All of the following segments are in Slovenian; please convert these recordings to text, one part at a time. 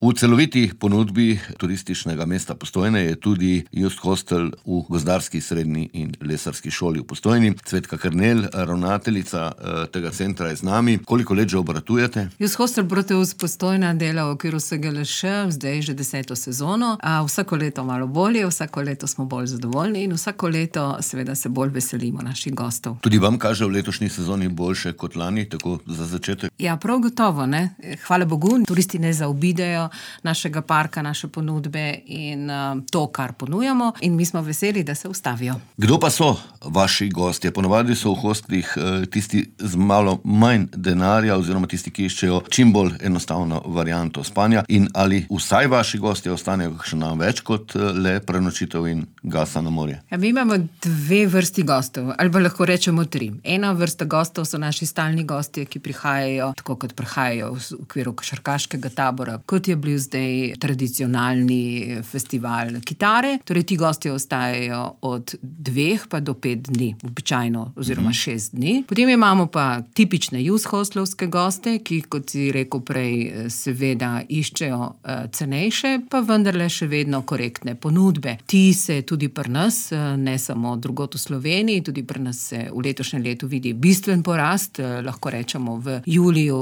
V celoviti ponudbi turističnega mesta Postojne je tudi Just Hostel v gozdarski srednji in lesarski šoli v Postojni. Cvetka Kernelj, ravnateljica tega centra je z nami. Koliko let že obratujete? Just Hostel Proteus Postojna dela v okviru SGLŠ, zdaj že 10. sezono. Vsako leto malo bolje, vsako leto smo bolj zadovoljni in vsako leto seveda se bolj veselimo naših gostov. Tudi vam kaže v letošnji sezoni boljše kot lani, tako za začetek? Ja, prav gotovo, ne. Hvala Bogu, turisti ne zaobidejo našega parka, naše ponudbe in to, kar ponujamo, in mi smo veseli, da se ustavijo. Kdo pa so vaši gostje? Ponavadi so v hostlih tisti z malo manj denarja oziroma tisti, ki iščejo čim bolj enostavno varianto spanja, in ali vsaj vaši gostje ostanejo kakšen dan več kot le prenočitev in gasa na morje? Ja, mi imamo dve vrsti gostov, ali pa lahko rečemo tri. Ena vrsta gostov so naši stalni gostje, ki prihajajo, tako kot prihajajo v okviru košarkaškega tabora, kot je bil zdaj tradicionalni festival kitare. Torej, ti gostje ostajajo od 2 pa do 5 dni, običajno, oziroma 6 dni. Potem imamo pa tipične Just Hostlovske goste, ki, kot si rekel prej, seveda iščejo cenejše, pa vendarle še vedno korektne ponudbe. Ti se tudi pri nas, ne samo drugod v Sloveniji, tudi pri nas se v letošnjem letu vidi bistven porast, lahko rečemo v juliju,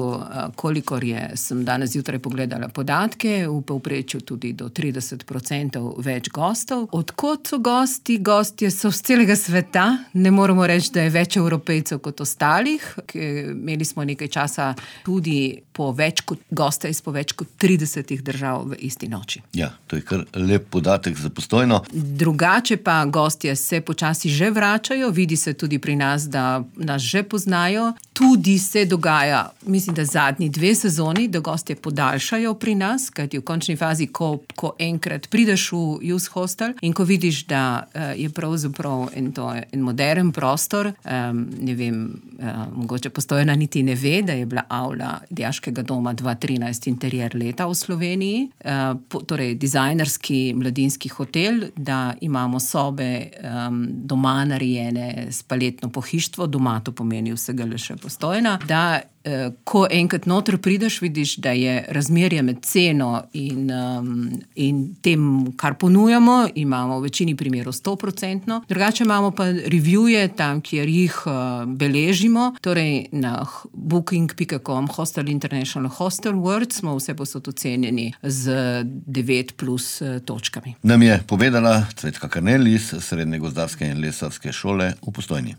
kolikor sem danes zjutraj pogledala podatke, v povprečju tudi do 30% več gostov. Odkot so gosti? Gostje so z celega sveta. Ne moremo reči, da je več Evropejcev kot ostalih. Imeli smo nekaj časa tudi goste iz po več kot 30 držav v isti noči. Ja, to je kar lep podatek za Postojno. Drugače pa gostje se počasi že vračajo, vidi se tudi pri nas, da nas že poznajo. Tudi se dogaja, mislim, da zadnji 2 sezoni, da gostje podaljšajo pri nas, kajti v končni fazi, ko enkrat prideš v Just Hostel in ko vidiš, da je pravzaprav en modern prostor, ne vem, mogoče Postojna niti ne ve, da je bila avla Dijaškega doma 2013 interier leta v Sloveniji, torej dizajnerski mladinski hotel, da imamo sobe doma narejene s paletno pohištvo, doma to pomeni vsega le še Postojna, da ko enkrat noter prideš, vidiš, da je razmerje med ceno in tem, kar ponujamo, imamo v večini primerov 100%. Drugače imamo pa reviewje tam, kjer jih beležimo, torej na booking.com Hostel International Hostel World smo vse posod ocenjeni z 9+ točkami. Nam je povedala Cvetka Kernelj iz Srednje gozdarske in lesarske šole v Postojni.